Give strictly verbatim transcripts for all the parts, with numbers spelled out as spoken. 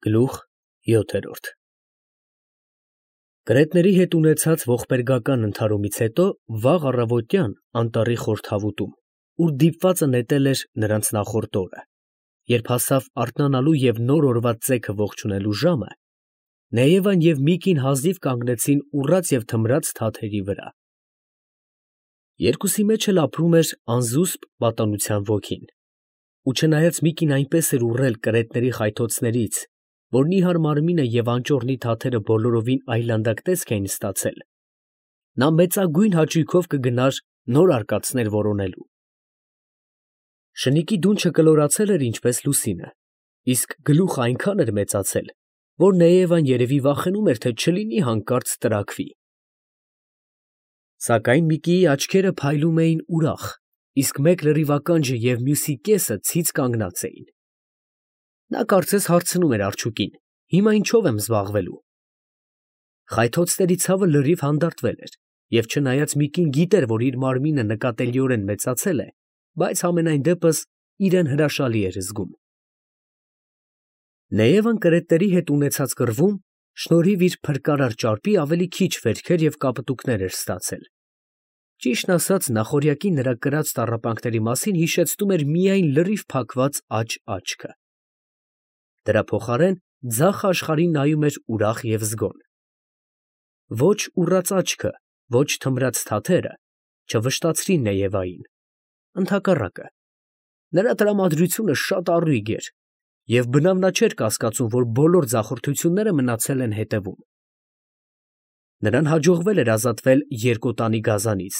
Գլուխ յոթերորդ Կրետների հետ ունեցած ողբերգական ընդհարումից հետո վաղ առավոտյան անտառի խորհրդավուտում, ուր դիպվածը նետել էր նրանց նախորդ օրը, երբ հասավ արթնանալու և նոր օրվա ծեքը ողջունելու ժամը, Նեևան և Միկին հազիվ կանգնեցին ուռած և թմրած թաթերի վրա. երկուսի մեջ էլ ապրում էր անզուսպ պատանության ոգին, ու չնայած Միկին այնպես էր ուռել կրետների խայթոցներից, որ նիհար մարմինը և անճոռնի թաթերը բոլորովին այլանդակ տեսք էին ստացել, նա մեծագույն հաճույքով կգնար նոր արկածներ որոնելու. շնիկի դունչը կլորացել էր ինչպես լուսինը, իսկ գլուխը այնքան էր մեծացել, որ Նեևան երևի վախենում էր, թե չլինի հանկարծ տրաքվի. Սակայն Միկիի աչքերը փայլում էին ուրախ, իսկ մեկ լրիվ ականջը և մյուսի կեսը ցից կանգնած էին. նա կարծես հարցնում էր արջուկին. հիմա ինչո՞վ եմ զբաղվելու: Խայթոցների ցավը լրիվ հանդարտվել էր, և չնայած Միկին գիտեր, որ իր մարմինը նկատելիորեն մեծացել է, բայց համենայն դեպս իրեն հրաշալի էր զգում: Նեևան կրետների հետ ունեցած կռվում շնորհիվ իր փրկարար ճարպի ավելի քիչ վերքեր և կապտուկներ էր ստացել. ճիշտն ասած, նախօրյակի նրա կրած տառապանքների մասին հիշեցնում էր միայն լրիվ փակված աջ աչքը. դրա փոխարեն ձախ աշխարհին նայում էր ուրախ և զգոն: Ոչ ուռած աչքը, ոչ թմրած թաթերը չվշտացրին Նեևային, ընդհակառակը, նրա տրամադրությունը շատ առույգ էր, և բնավ նա չէր կասկածում, որ բոլոր ձախորդությունները մնացել են հետևում: Նրան հաջողվել էր ազատվել երկոտանի գազանից,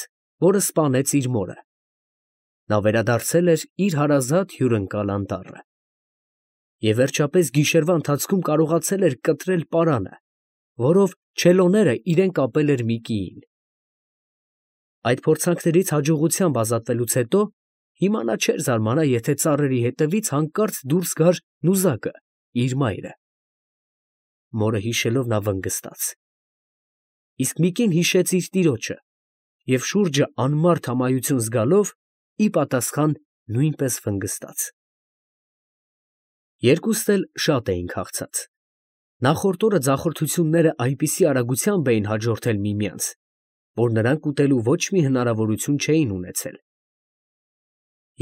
որը սպանեց իր մորը: Նա վերադարձել էր իր հարազատ հյուրընկալ անտառը: Եվ վերջապես գիշերվա ընթացքում կարողացել էր կտրել պարանը, որով չելոները իրեն կապել էր Միկիին: Այդ փորձանքներից հաջողությամբ ազատվելուց հետո հիմա նա չէր զարմանա, եթե ծառերի ետևից հանկարծ դուրս գար նուզակը, իր մայրը: Մորը հիշելով նա վնգստաց: Իսկ Միկին հիշեց իր տիրոջը և շուրջը անմարդ ամայություն զգալով, ի պատասխան նույնպես վնգստաց: Երկուստ էլ շատ էին քաղցած: Նախորդ օրը ձախորդությունները այնպիսի արագությամբ էին հաջորդել միմյանց, որ նրանք ուտելու ոչ մի հնարավորություն չէին ունեցել: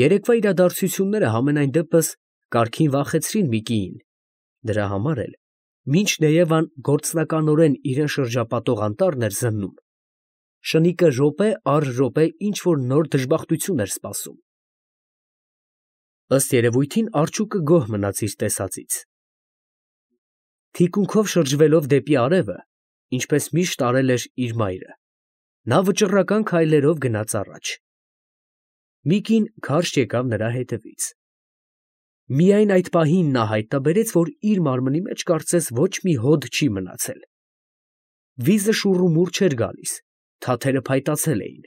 Երեկվա իրադարձությունները համենայն դեպս կարգին վախեցրին Միկիին, դրա համար էլ, մինչ Նեևան գործնականորեն իրան շրջապատող անտառն էր զննում, շնիկը րոպե առ րոպե ինչ֊որ նոր դժբախտություն էր սպասում: Ըստ երևույթին արջուկը գոհ մնաց իր տեսածից: Թիկունքով շրջվելով դեպի արևը, ինչպես միշտ արել էր իր մայրը, նա վճռական քայլերով գնաց առաջ: Միկին քարշ եկավ նրա հետևից: Միայն այդ պահին նա հայտնաբերեց, որ իր մարմնի մեջ կարծես ոչ մի հոդ չի մնացել: Վիզը շուռումուռ չէր գալիս, թաթերը փայտացել էին: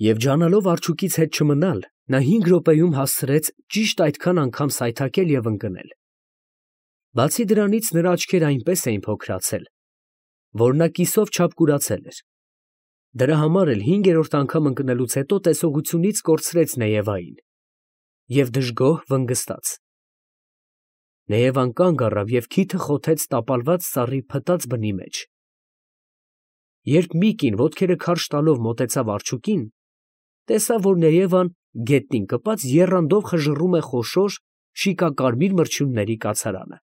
Եվ ջանալով արջուկից հետ չմնալ, նա հինգ րոպեում հասցրեց ճիշտ այդքան անգամ սայթաքել և ընկնել: Բացի դրանից նրա աչքերը այնպես էին փոքրացել, որ նա կիսով չափ կուրացել էր: Դրա համար էլ հինգերորդ անգամ ընկնելուց հետո տեսողությունից կորցրեց Նեևային և դժգոհ վնգստաց: Նեևան կանգ առավ և քիթը խոթեց տապալված ծառի փտած բնի մեջ: Երբ Միկին ոտքերը քարշ տալով մոտեցավ արջուկին, տեսավ, որ Նեևան գետնին կպած եռանդով խժռում է խոշոր շիկակարմիր մրջյունների կացարանը: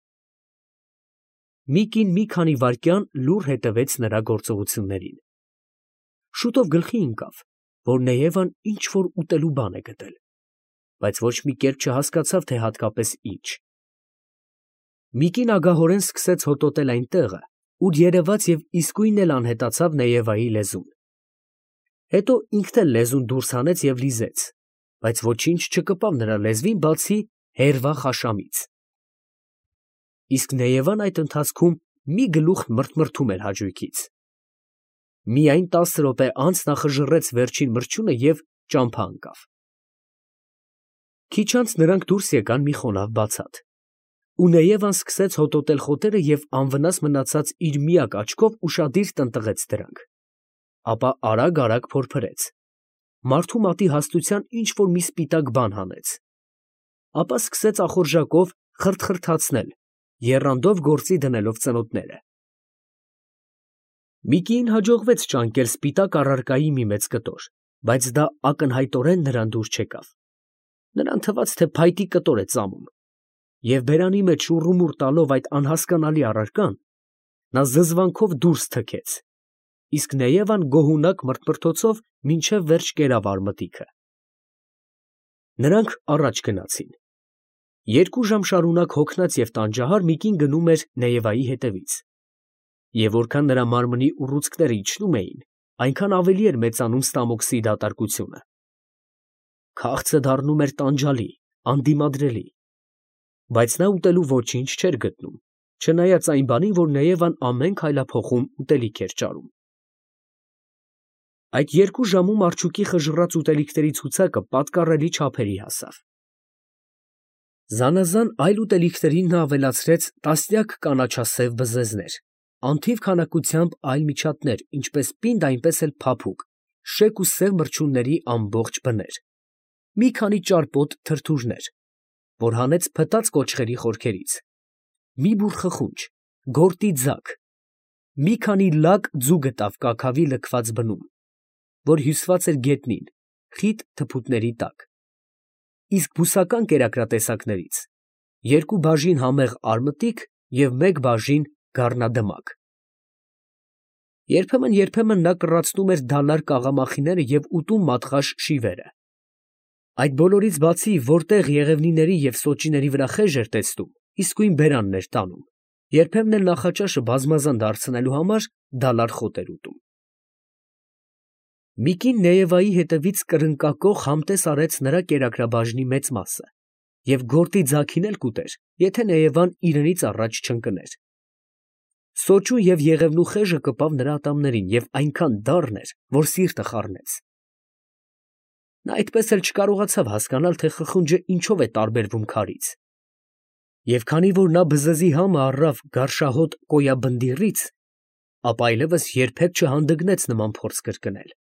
Միկին մի քանի վայրկյան լուռ հետևեց նրա գործողություններին: Շուտով գլխի ընկավ, որ Նեևան ինչ֊որ ուտելու բան է գտել, բայց ոչ մի կերպ չհասկացավ, թե հատկապես ինչ: Միկին ագահորեն սկսեց հոտոտել այն տեղը, ուր երևաց և իսկույն էլ անհետացավ Նեևայի լեզուն: Հետո ինքն էլ լեզուն դուրս հանեց և լիզեց, բայց ոչինչ չկպավ նրա լեզվին, բացի հերվա խաշամից: Իսկ Նեևան այդ ընթացքում մի գլուխ մրթմրթում էր հաճույքից: Միայն տասը րոպե անց նա խժռեց վերջին մրջյունը և ճամփա ընկավ: Քիչ անց նրանք դուրս եկան մի խոնավ բացատ, ու Նեևան սկսեց հոտոտել խոտերը և անվնաս մնացած իր միակ աչքով ուշադիր տնտղեց դրանք: Ապա արագ֊արագ փորփրեց, մարդու մատի հաստության ինչ֊որ մի սպիտակ բան հանեց: Ապա սկսեց ախորժակով խրթխրթացնել, եռանդով գործի դնելով ծնոտները։ Միկիին հաջողվեց ճանկել սպիտակ առարկայի մի մեծ կտոր, բայց դա ակնհայտորեն նրան դուր չեկավ. նրան թվաց, թե փայտի կտոր է ծամում, և բերանի մեջ շուռումուռ տալով այդ անհասկանալի առարկան, նա զզվանքով դուրս թքեց, իսկ Նեևան գոհունակ մրթմրթոցով մինչև վերջ կերավ արմատիքը։ Նրանք առաջ գնացին։ Երկու ժամ շարունակ հոգնած և տանջահար Միկին գնում էր Նեևայի հետևից, և որքան նրա մարմնի ուռուցքները իջնում էին, այնքան ավելի էր մեծանում ստամոքսի դատարկությունը։ Քաղցը դառնում էր տանջալի, անդիմադրելի, բայց նա ուտելու ոչինչ չէր գտնում, չնայած այն բանին, որ Նեևան ամեն քայլափոխում ուտելիք էր ճարում։ Այդ երկու ժամում արջուկի խժռած ուտելիքների ցուցակը պատկառելի չափերի հասավ։ Զանազան այլ ուտելիքներին նա ավելացրեց տասնյակ կանաչասև բզեզներ, անթիվ քանակությամբ այլ միջատներ, ինչպես պինդ, այնպես էլ փափուկ, շեկ ու սև մրջյունների ամբողջ բներ, մի քանի ճարպոտ թրթուրներ, որ հանեց փտած կոճղերի խորքերից, մի բուռ խխունջ, գորտի ձագ, մի քանի լակ ձու գտավ կաքավի լքված բնում, որ հյուսված էր գետնին, խիտ թփուտների տակ, իսկ բուսական կերակրատեսակներից երկու բաժին համեղ արմտիկ և մեկ բաժին գառնադմակ։ Երբեմն֊երբեմն նա կռացնում էր դալար կաղամախիները և ուտում մատղաշ շիվերը։ Այդ բոլորից բացի, որտեղ եղևնիների և սոճիների վրա խեժ էր տեսնում, իսկույն բերանն էր տանում, երբեմն էլ նախաճաշը բազմազան դարձնելու համար դալար խոտ էր ուտում։ Միկին Նեևայի հետևից կրնկակոխ համտես արեց նրա կերակրաբաժնի մեծ մասը և գորտի ձագին էլ կուտեր, եթե Նեևան իրենից առաջ չընկներ։ Սոճու և եղևնու խեժը կպավ նրա ատամներին և այնքան դառն էր, որ սիրտը խառնեց։ Նա այդպես էլ չկարողացավ հասկանալ, թե խխունջը ինչով է տարբերվում քարից, և քանի որ նա բզեզի համը առավ գարշահոտ կոյաբնդիռից, ապա այլևս երբեք չհանդգնեց նման փորձ կրկնել։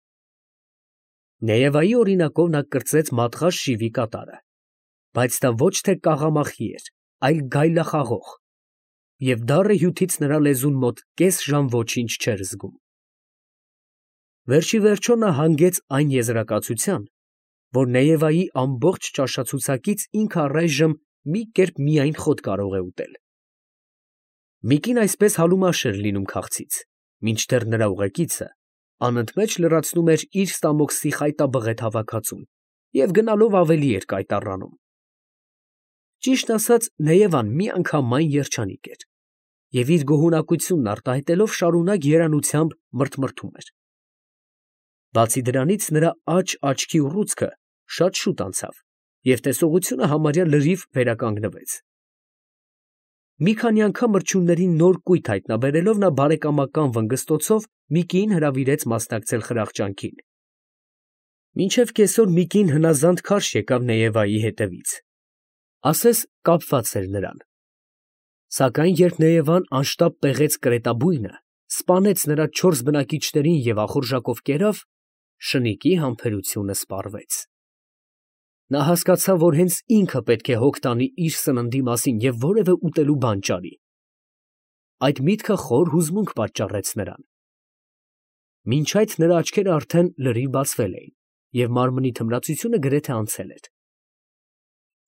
Նեևայի օրինակով նա կրծեց մատղաշ շիվի կատարը, բայց դա ոչ թե կաղամախի էր, այլ գայլախաղող, և դառը հյութից նրա լեզուն մոտ կես ժամ ոչինչ չէր զգում։ Վերջիվերջո նա հանգեց այն եզրակացության, որ Նեևայի ամբողջ ճաշացուցակից ինքը առայժմ մի կերպ միայն խոտ կարող է ուտել։ Միկին այսպես հալումաշ էր լինում քաղցից, մինչդեռ նրա ուղեկիցը անընդմեջ լրացնում էր իր ստամոքսի խայտաբղետ հավաքածուն և գնալով ավելի էր կայտառանում։ Ճիշտն ասած, Նեևան միանգամայն երջանիկ էր և իր գոհունակությունն արտահայտելով շարունակ երանությամբ մրթմրթում էր։ Բացի դրանից, նրա աջ աչքի ուռուցքը շատ շուտ անցավ, և տեսողությունը համարյա լրիվ վերականգնվեց։ Մի քանի անգամ մրջյուններին նոր կույտ հայտնաբերելով, նա բարեկամական վնգստոցով Միկիին հրավիրեց մասնակցել խրախճանքին։ Մինչև կեսօր Միկին հնազանդ քարշ եկավ Նեևայի հետևից, ասես կապված էր նրան։ Սակայն երբ Նեևան անշտապ պեղեց կրետաբույնը, սպանեց նրա չորս բնակիչներին և ախորժակով կերավ, շնիկի համբերությունը սպառվեց։ Նա հասկացավ, որ հենց ինքը պետք է հոգ տանի իր սննդի մասին և որևէ ուտելու բան ճարի։ Այդ միտքը խոր հուզմունք պատճառեց նրան։ Մինչ այդ նրա աչքերը արդեն լրիվ բացվել էին, և մարմնի թմրացությունը գրեթե անցել էր։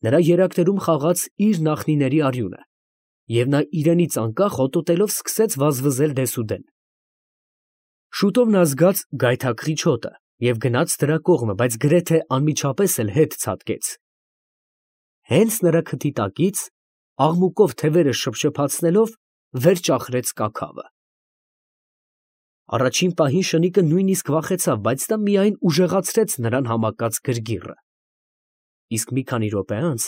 Նրա երակներում խաղաց իր նախնիների արյունը, և նա իրենից անկախ հոտոտելով սկսեց վազվզել դեսուդեն։ Շուտով նա զգաց գայթակղիչ հոտը և գնաց դրա կողմը, բայց գրեթե անմիջապես էլ հետ ցատկեց։ Հենց նրա քթի տակից, աղմուկով թևերը շփշփացնելով, վեր ճախրեց կաքավը։ Առաջին պահին շնիկը նույնիսկ վախեցավ, բայց դա միայն ուժեղացրեց նրան համակած գրգիռը։ Իսկ մի քանի րոպե անց,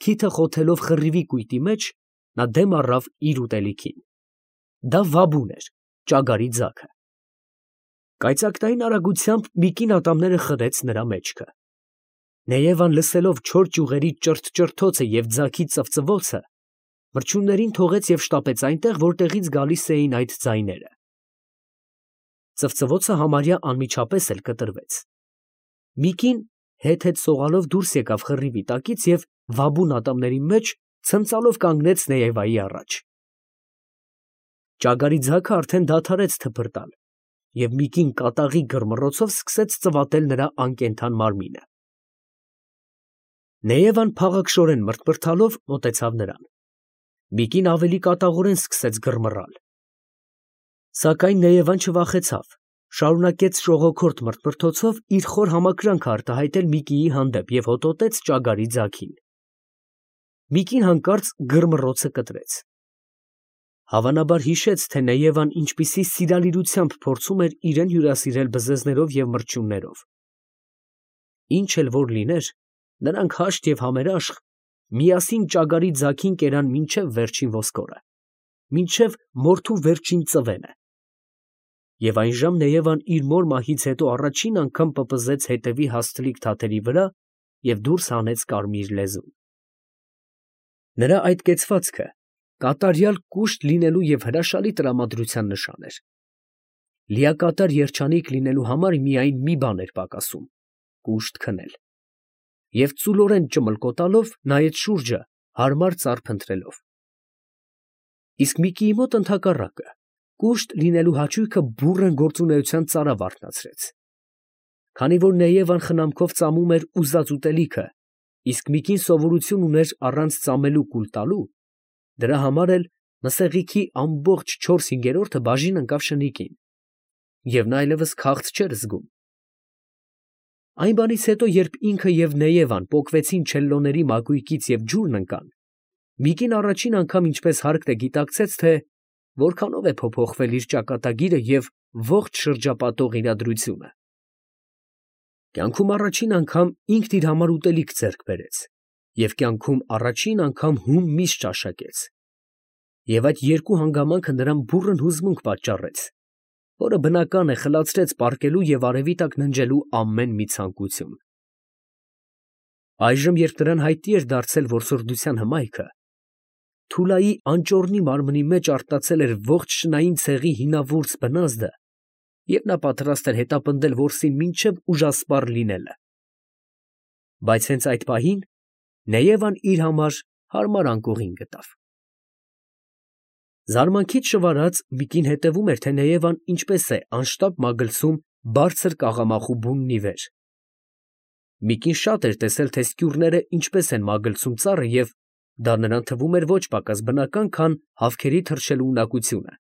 քիթը խոթելով խռիվի կույտի մեջ, նա դեմ առավ իր ուտելիքին։ Դա վաբուն էր, ճագարի ձագը։ Կայծակնային արագությամբ Միկին ատամները խրեց նրա մեջքը։ Նեևան լսելով չոր ճյուղերի ճրթ֊ճրթոցը և ձագի ծվծվոցը, մրջյուններին թողեց և շտապեց այնտեղ, որտեղից գալիս էին այդ ձայները։ Ծվծվոցը համարյա անմիջապես էլ կտրվեց։ Միկին հետ֊հետ սողալով դուրս եկավ խռիվի տակից և վաբուն ատամների մեջ ցնծալով կանգնեց Նեևայի առաջ։ Ճագարի ձագը արդեն դադարեց թփրտալ, և մի կին կատաղի գրմռոցով սկսեց ծվատել նրա անկենդան մարմինը։ Նեևան փաղաքշորեն մրթմրթալով մոտեցավ նրան։ Մի կին ավելի կատաղորեն սկսեց գրմռալ։ Սակայն Նեևան չվախեցավ, շարունակեց շողոքորթ մրթմրթոցով իր խոր համակրանքը արտահայտել Միկիի հանդեպ և հոտոտեց ճագարի ձագին։ Միկին հանկարծ գրմռոցը կտրեց։ Հավանաբար հիշեց, թե Նեևան ինչպիսի սիրալիրությամբ փորձում էր իրեն հյուրասիրել բզեզներով և մրջյուններով։ Ինչ էլ որ լիներ, նրանք հաշտ և համերաշխ միասին ճագարի ձագին կերան մինչև վերջին ոսկորը, մինչև մորթու վերջին ծվենը։ Եվ այնժամ Նեևան իր մոր մահից հետո առաջին անգամ պպզեց հետևի հաստլիկ թաթերի վրա և դուրս հանեց կարմիր լեզուն։ Նրա այդ կեցվածքը կատարյալ կուշտ լինելու և հրաշալի տրամադրության նշան էր։ Լիակատար երջանիկ լինելու համար միայն մի բան էր պակասում՝ կուշտ քնել։ Եվ ծուլորեն ճմլկոտալով նայեց շուրջը, հարմար ծառ փնտրելով։ Իսկ Միկիի մոտ ընդհակառակը, կուշտ լինելու հաճույքը բուռն գործունեության ծարավ արթնացրեց։ Քանի որ Նեևան խնամքով ծամում էր ուզած ուտելիքը, իսկ Միկին սովորություն ուներ առանց ծամելու կուլ տալու, դրա համար էլ մսեղիքի ամբողջ չորս հինգերորդը բաժին ընկավ շնիկին, և նա այլևս քաղց չէր զգում։ Այն բանից հետո, երբ ինքը և Նեևան պոկվեցին չելլոների մակույկից և ջուրն ընկան, Միկին առաջին անգամ ինչպես հարկն է գիտակցեց, թե որքանով է փոփոխվել իր ճակատագիրը և ողջ շրջապատող իրադրությունը։ Կյանքում առաջին անգամ ինքն իր համար ուտելիք ձեռք բերեց և կյանքում առաջին անգամ հում միս ճաշակեց, և այդ երկու հանգամանքը նրան բուռն հուզմունք պատճառեց, որը բնական է խլացրեց պառկելու և արևի տակ ննջելու ամեն մի ցանկություն։ Այժմ, երբ նրան հայտնի էր դարձել որսորդության հմայքը, Թուլայի անճոռնի մարմնի մեջ արթնացել էր ողջ շնային ցեղի հինավուրց բնազդը, և նա պատրաստ էր հետապնդել որսին մինչև ուժասպառ լինելը։ Բայց հենց այդ պահին Նեևան իր համար հարմար անկողին գտավ։ Զարմանքից շվարած Միկին հետևում էր, թե Նեևան ինչպես է անշտապ մագլցում բարձր կաղամախու բուննի վեր։ Միկին շատ էր տեսել, թե սկյուռները ինչպես են մագլցում ծառը, և դա նրան թվում էր ոչ պակաս բնական, քան հավքերի թռչելու ունակությունը,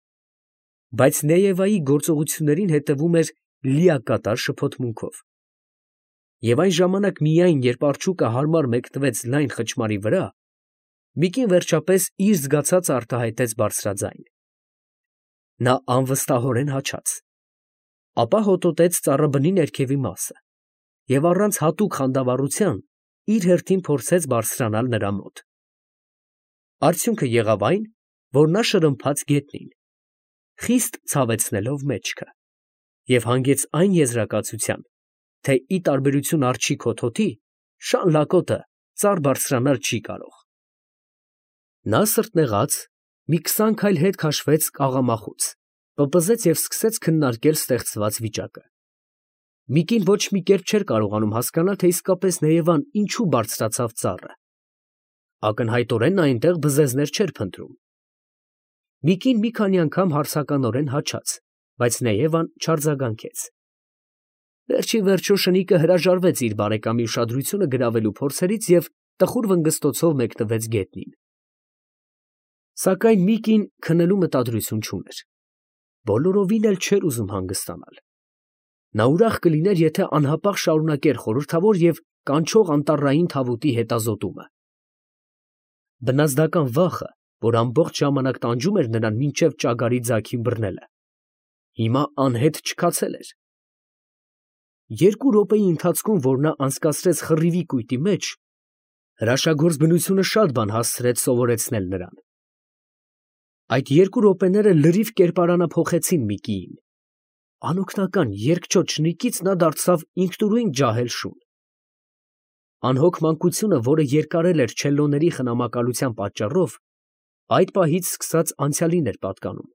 բայց Նեևայի գործողություններին հետևում էր լիակատար շփոթմունքով։ Եվ այն ժամանակ միայն, երբ արջուկը հարմար մեկնվեց լայն խճմարի վրա, Միկին վերջապես իր զգացածը արտահայտեց բարձրաձայն։ Նա անվստահորեն հաչաց, ապա հոտոտեց ծառաբնի ներքևի մասը և առանց հատուկ խանդավառության իր հերթին փորձեց բարձրանալ նրա մոտ։ Արդյունքը եղավ այն, որ նա շրմփաց գետնին, խիստ ցավեցնելով մեջքը, և հանգեց այն եզրակացության, թե ի տարբերություն արջի քոթոթի, շան լակոտը ծառ բարձրանալ չի կարող։ Նա սրտնեղած մի քսան քայլ հետ քաշվեց կաղամախուց, պպզեց և սկսեց քննարկել ստեղծված վիճակը։ Միկին ոչ մի կերպ չէր կարողանում հասկանալ, թե իսկապես Նեևան ինչու բարձրացավ ծառը։ Ակնհայտորեն նա այնտեղ բզեզներ չէր փնտրում։ Միկին մի քանի անգամ հարցականորեն հաչաց, բայց Նեևան չարձագանքեց։ Վերջիվերջո շնիկը հրաժարվեց իր բարեկամի ուշադրությունը գրավելու փորձերից և տխուր վնգստոցով մեկնվեց գետնին։ Սակայն Միկին քնելու մտադրություն չուներ։ Բոլորովին էլ չէր ուզում հանգստանալ։ Նա ուրախ կլիներ, եթե անհապաղ շարունակեր խորհրդավոր և կանչող անտառային թավուտի հետազոտումը։ Բնազդական վախը, որ ամբողջ ժամանակ տանջում էր նրան մինչև ճագարի ձագին բռնելը, հիմա անհետ չքացել էր։ Երկու րոպեի ընթացքում, որ նա անցկացրեց խռիվի կույտի մեջ, հրաշագործ բնությունը շատ բան հասցրեց սովորեցնել նրան։ Այդ երկու րոպեները լրիվ կերպարանափոխեցին Միկիին։ Անօգնական երկչոտ շնիկից նա դարձավ ինքնուրույն ջահել շուն։ Անհոգ մանկությունը, որը երկարել էր չելլոների խնամակալության պատճառով, այդ պահից սկսած անցյալին էր պատկանում։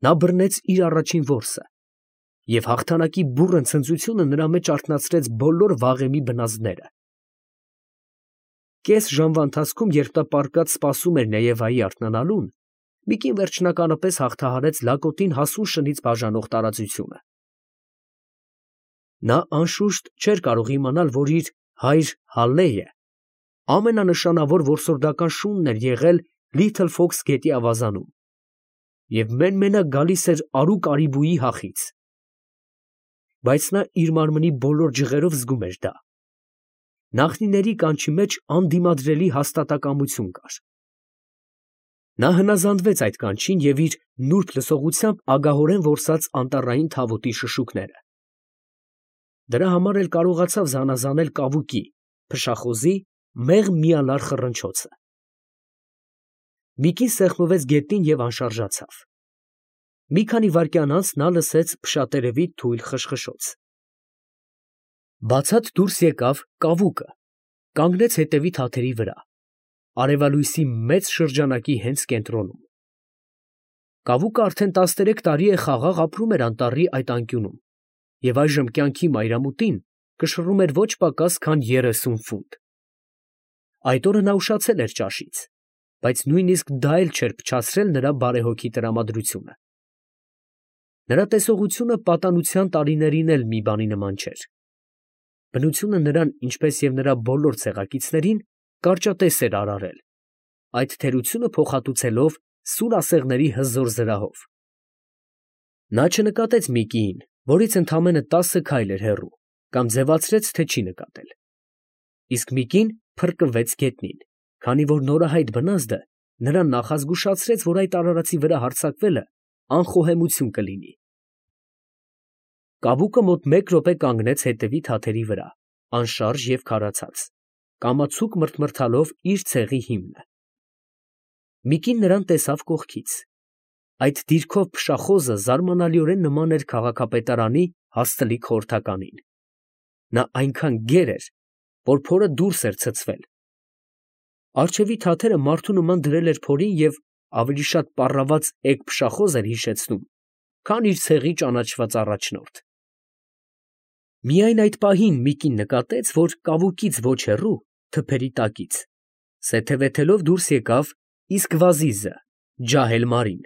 Նա բռնեց իր առաջին որսը, և հաղթանակի բուռն ցնծությունը նրա մեջ արթնացրեց բոլոր վաղեմի բնազդները։ կես ժամվա ընթացքում, երբ նա պառկած սպասում էր Նեևայի արթնանալուն, Միկին վերջնականապես հաղթահարեց լակոտին հասուն շնից բաժանող տարածությունը։ Նա անշուշտ չէր կարող իմանալ, որ իր հայր Հալլեյը ամենանշանավոր որսորդական շունն էր եղել Լիթլ Ֆոքս գետի ավազանում և մեն֊մենակ գալիս էր արու կարիբուի հախից։ Բայց նա իր մարմնի բոլոր ջղերով զգում էր դա։ Նախնիների կանչի մեջ անդիմադրելի հաստատակամություն կար։ Նա հնազանդվեց այդ կանչին և իր նուրբ լսողությամբ ագահորեն որսաց անտառային թավուտի շշուկները։ Դրա համար էլ կարողացավ զանազանել կավուկի, փշախոզի մեղմ միալար խռնչոցը։ Միկին սեղմվեց գետնին և անշարժացավ։ Մի քանի վայրկյան անց նա լսեց փշատերևի թույլ խշխշոց։ Բացատ դուրս եկավ կավուկը, կանգնեց հետևի թաթերի վրա, արևալույսի մեծ շրջանակի հենց կենտրոնում։ Կավուկը արդեն տասներեք տարի է խաղաղ ապրում էր անտառի այդ անկյունում և այժմ կյանքի մայրամուտին կշռում էր ոչ պակաս, քան երեսուն ֆունտ։ Այդ օրը նա ուշացել էր ճաշից, բայց նույնիսկ դա էլ չէր փչացրել նրա բարեհոգի տրամադրությունը։ Նրա տեսողությունը պատանության տարիներին էլ մի բանի նման չէր։ Բնությունը նրան, ինչպես և նրա բոլոր ցեղակիցներին, կարճատես էր արարել, այդ թերությունը փոխհատուցելով սուր ասեղների հզոր զրահով։ Նա չնկատեց Միկիին, որից ընդամենը տասը քայլ էր հեռու, կամ ձևացրեց, թե չի նկատել։ Իսկ Միկին փրկվեց գետնին, քանի որ նորահայտ բնազդը նրան նախազգուշացրեց, որ այդ արարածի վրա հարձակվելը անխոհեմություն կլինի։ Կավուկը մոտ մեկ րոպե կանգնեց հետևի թաթերի վրա, անշարժ և քարացած, կամացուկ մրթմրթալով իր ցեղի հիմնը։ Միկին նրան տեսավ կողքից։ Այդ դիրքով փշախոզը զարմանալիորեն նման էր քաղաքապետարանի հաստլիկ խորհրդականին։ Նա այնքան գեր էր, որ փորը դուրս էր ցցվել։ Առջևի թաթերը մարդու նման դրել էր փորին և ավելի շատ պառաված էգ փշախոզ էր հիշեցնում, քան իր ցեղի ճանաչված առաջնորդ։ Միայն այդ պահին Միկին նկատեց, որ կավուկից ոչ հեռու, թփերի տակից, սեթևեթելով դուրս եկավ Իսկվազիզը, Ջահել֊մարին։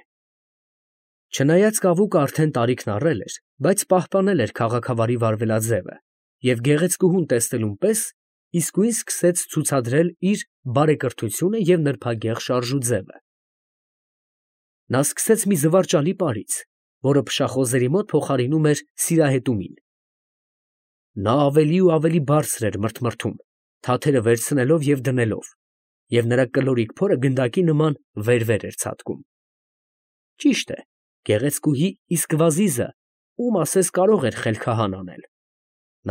Չնայած կավուկը արդեն տարիքն առել էր, բայց պահպանել էր քաղաքավարի վարվելաձևը և գեղեցկուհուն տեսնելուն պես իսկույն սկսեց ցուցադրել իր բարեկրթությունը և նրբագեղ շարժուձևը։ Նա սկսեց մի զվարճալի պարից, որը փշախոզերի մոտ փոխարինում էր սիրահետումին։ Նա ավելի ու ավելի բարձր էր մրթմրթում, թաթերը վերցնելով և դնելով, և նրա կլորիկ փորը գնդակի նման վեր֊վեր էր ցատկում։ Ճիշտ է, գեղեցկուհի Իսկվազիզը ում ասես կարող էր խելքահան անել։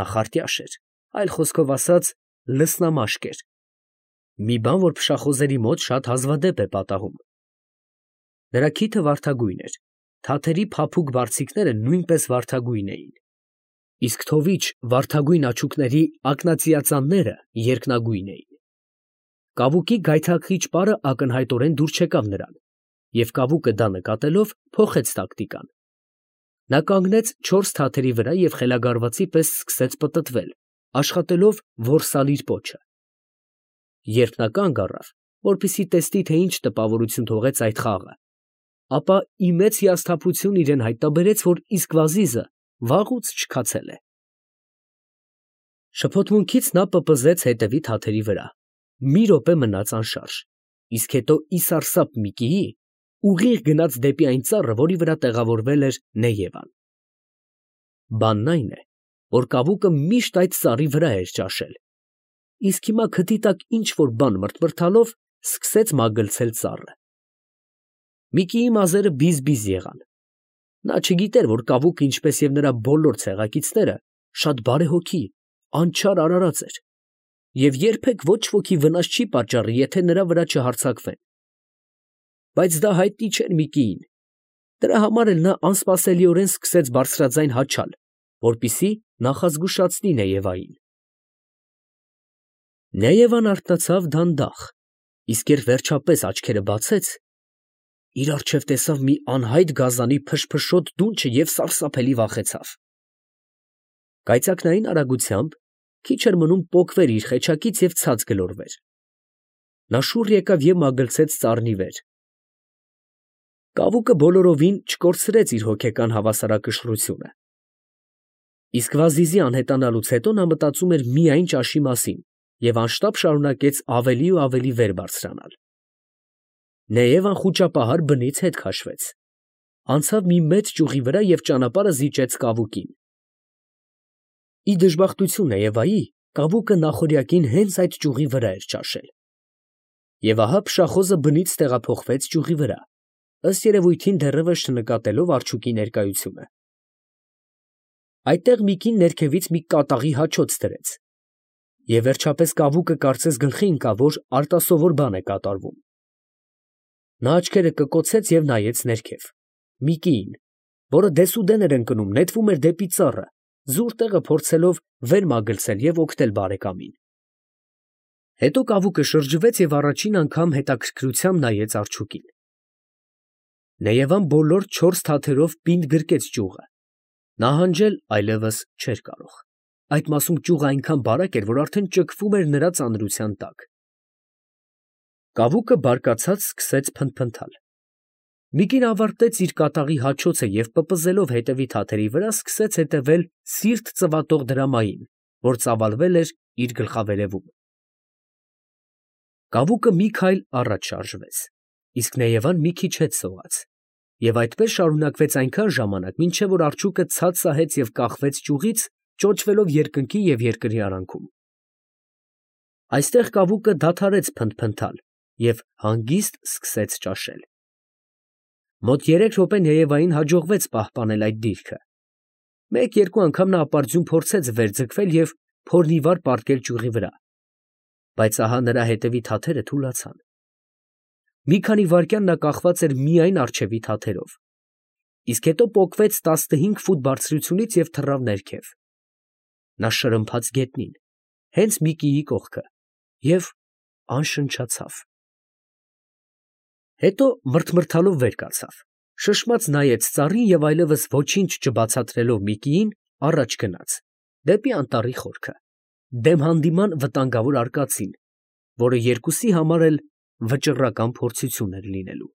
Նա խարտյաշ էր, այլ խոսքով ասած, լսնամաշկ էր, մի բան, որ փշախոզերի մոտ շատ հազվադեպ է պատահում։ Նրա քիթը վարդագույն էր, թաթերի փափուկ բարձիկները նույնպես վարդագույն էին, իսկ թովիչ վարդագույն աչուկների ակնածիածանները երկնագույն էին։ Կավուկի գայթակղիչ պարը ակնհայտորեն դուր չեկավ նրան, և կավուկը դա նկատելով փոխեց տակտիկան։ Նա կանգնեց չորս թաթերի վրա և խելագարվածի պես սկսեց պտտվել, աշխատելով որսալ իր պոչը։ Երբ նա կանգ առավ, որպեսզի տեսնի, թե ինչ տպավորություն թողեց այդ խաղը, ապա ի մեծ հիասթափություն իրան հայտնաբերեց, որ Իսկվազիզը վաղուց չքացել է։ Շփոթմունքից նա պպզեց հետևի թաթերի վրա, մի րոպե մնաց անշարժ, իսկ հետո ի սարսափ Միկիի ուղիղ գնաց դեպի այն ծառը, որի վրա տեղավորվել էր Նեևան։ Բանն այն է, որ կավուկը միշտ այդ ծառի վրա էր ճաշել, իսկ հիմա քթի տակ ինչ֊որ բան մրթմրթալով սկսեց մագլցել ծառը։ Միկիի մազերը բիզ֊բիզ եղան։ Նա չգիտեր, որ կավուկը, ինչպես և նրա բոլոր ցեղակիցները, շատ բարեհոգի, անչափ արարած էր, և երբեք ոչ ոքի վնաս չի պատճառի, եթե նրա վրա չհարձակվեն։ Բայց դա հայտնի չէր Միկիին։ Դրա համար էլ նա անսպասելիորեն սկսեց բարձրաձայն հաչալ, որպեսզի նախազգուշացնի Նեևային։ Նեևան արթնացավ դանդաղ, իսկ երբ վերջապես աչքերը բացեց, իր առջև տեսավ մի անհայտ գազանի փշփշոտ դունչը և սարսափելի վախեցավ։ Կայծակնային արագությամբ քիչ էր մնում պոկվեր իր խեչակից և ցած գլորվեր։ Նա շուռ եկավ և մագլցեց ծառնի վեր։ Կավուկը բոլորովին չկորցրեց իր հոգեկան հավասարակշռությունը։ Իսկ Վազիզի անհետանալուց հետո նա մտածում էր միայն ճաշի մասին և անշտապ շարունակեց ավելի ու ավելի վեր բարձրանալ։ Նաև անխուճապահար բնից հետ քաշվեց, անցավ մի մեծ ճյուղի վրա և ճանապարհը զիջեց կավուկին։ Ի դժբախտություն Եվայի, կավուկը նախօրյակին հենց այդ ճյուղի վրա էր ճաշել։ Եվ ահա փշախոզը բնից տեղափոխվեց ճյուղի վրա, ըստ երևույթին դեռևս չնկատելով արջուկի ներկայությունը։ Այդտեղ մի կին ներքևից մի կատաղի հաչոց դրեց, և վերջապես կավուկը կարծես գլխի ընկավ, որ արտասովոր բան է կատարվում։ Նա աչքերը կկոցեց և նայեց ներքև. մի կին, որը դեսուդեն էր ընկնում, նետվում էր դեպի ծառը, զուր տեղը փորձելով վեր մագլցել և օգնել բարեկամին։ Հետո կավուկը շրջվեց և առաջին անգամ հետաքրքրությամբ նայեց արջուկին։ Նեևան բոլոր չորս թաթերով պինդ գրկեց ճյուղը, նահանջել այլևս չէր կարող։ Այդ մասում ճյուղը այնքան բարակ էր, որ արդեն ճկվում էր նրա ծանրության տակ։ Կավուկը բարկացած սկսեց փնթփնթալ։ Մի կին ավարտեց իր կատաղի հաչոցը և պպզելով հետևի թաթերի վրա, սկսեց հետևել սիրտ ծվատող դրամային, որ ծավալվել էր իր գլխավերևում։ Կավուկը մի քայլ առաջ շարժվեց, իսկ Նեևան մի քիչ հետ սողաց, և այդպես շարունակվեց այնքան ժամանակ, մինչև որ արջուկը ցած սահեց և կախվեց ճյուղից, ճոճվելով երկնքի և երկրի արանքում։ Այստեղ կավուկը դադարեց փնթփնթալ և հանգիստ սկսեց ճաշել։ Մոտ երեք րոպե Նեևային հաջողվեց պահպանել այդ դիրքը։ Մեկ֊երկու անգամ նա ապարդյուն փորձեց վեր ձգվել և փորն ի վար պառկել ճյուղի վրա, բայց ահա նրա հետևի թաթերը թուլացան։ Մի քանի վայրկյան նա կախված էր միայն առջևի թաթերով, իսկ հետո պոկվեց տասնհինգ ֆուտ բարձրությունից և թռավ ներքև։ Նա շրմփաց գետնին, հենց Միկիի կողքը, և անշնչացավ։ Հետո մռթմռթալով վեր կացավ, շշմաց նայեց ծառին և այլևս ոչինչ չբացատրելով Միկիին, առաջ գնաց, դեպի անտառի խորքը, դեմ հանդիման վտանգավոր արկածին, որը երկուսի համար էլ վճռական փորձություն էր լինելու։